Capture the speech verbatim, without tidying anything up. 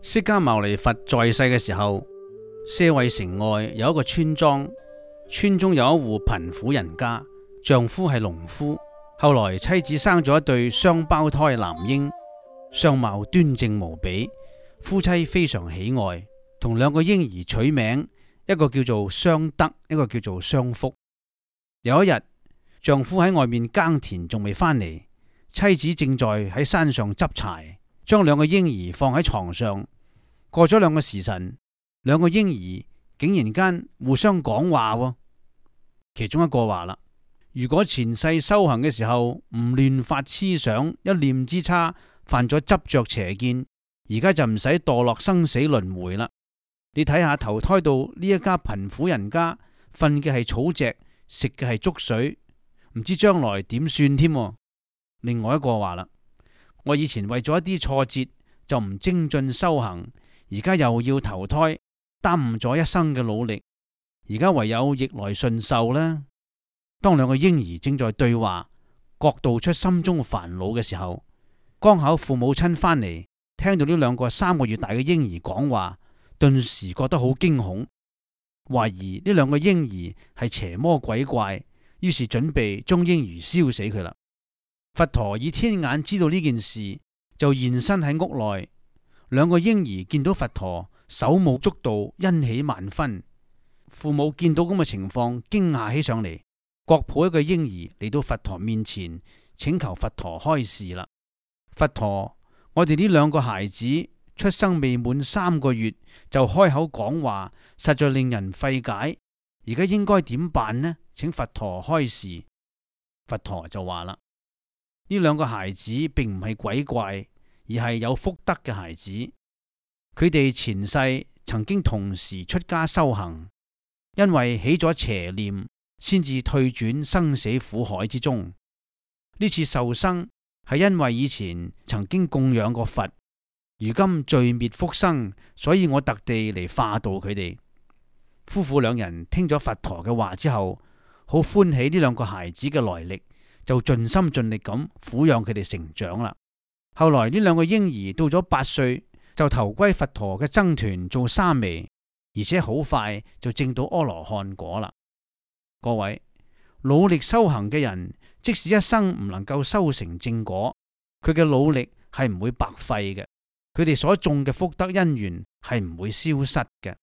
釋迦牟尼佛在世嘅時候，舍衛城外有一個村莊，村中有一戶貧苦人家，丈夫係農夫，後來妻子生咗一對雙胞胎男嬰，相貌端正無比，夫妻非常喜愛，同兩個嬰兒取名，一個叫做雙德，一個叫做雙福。有一日，丈夫喺外面耕田仲未返嚟，妻子正在喺山上執柴，將兩個嬰兒放喺床上。過咗兩個時辰，兩個嬰兒竟然間互相講話喎。其中一個話啦：如果前世修行嘅時候唔亂發痴想，一念之差犯咗執着邪見，而家就唔使墮落生死輪迴啦。你睇下投胎到呢一家貧苦人家，瞓嘅係草席，食嘅係粥水，唔知將來點算添。另外一個話啦：我以前為咗一啲挫折就唔精進修行，而家又要投胎，耽誤咗一生嘅努力，而家唯有逆來順受啦。當兩個嬰兒正在對話，各道出心中煩惱嘅時候，剛巧父母親返嚟，聽到呢兩個三個月大嘅嬰兒講話，頓時覺得好驚恐，懷疑呢兩個嬰兒係邪魔鬼怪，於是準備將嬰兒燒死佢啦。佛陀以天眼知道呢件事，就現身喺屋內。兩個嬰兒見到佛陀，手舞足蹈，欣喜萬分。父母見到咁嘅情況，驚訝起上嚟，各抱一個嬰兒嚟到佛陀面前，請求佛陀開示啦。佛陀，我哋呢兩個孩子出生未滿三個月就開口講話，實在令人費解。而家應該點辦呢？請佛陀開示。佛陀就話啦：呢兩個孩子並唔係鬼怪，而係有福德嘅孩子。佢哋前世曾經同時出家修行，因為起咗邪念，先至退轉生死苦海之中。呢次受生係因為以前曾經供養過佛，如今罪滅福生，所以我特地嚟化度佢哋。夫婦兩人聽咗佛陀嘅話之後，好歡喜呢兩個孩子嘅來歷，就盡心盡力咁撫養佢哋成長啦。後來呢兩個嬰兒到咗八歲，就投歸佛陀嘅僧團做沙彌，而且好快就證到阿羅漢果啦。各位，努力修行嘅人，即使一生唔能夠修成正果，佢嘅努力係唔會白費嘅，佢哋所種嘅福德因緣係唔會消失嘅。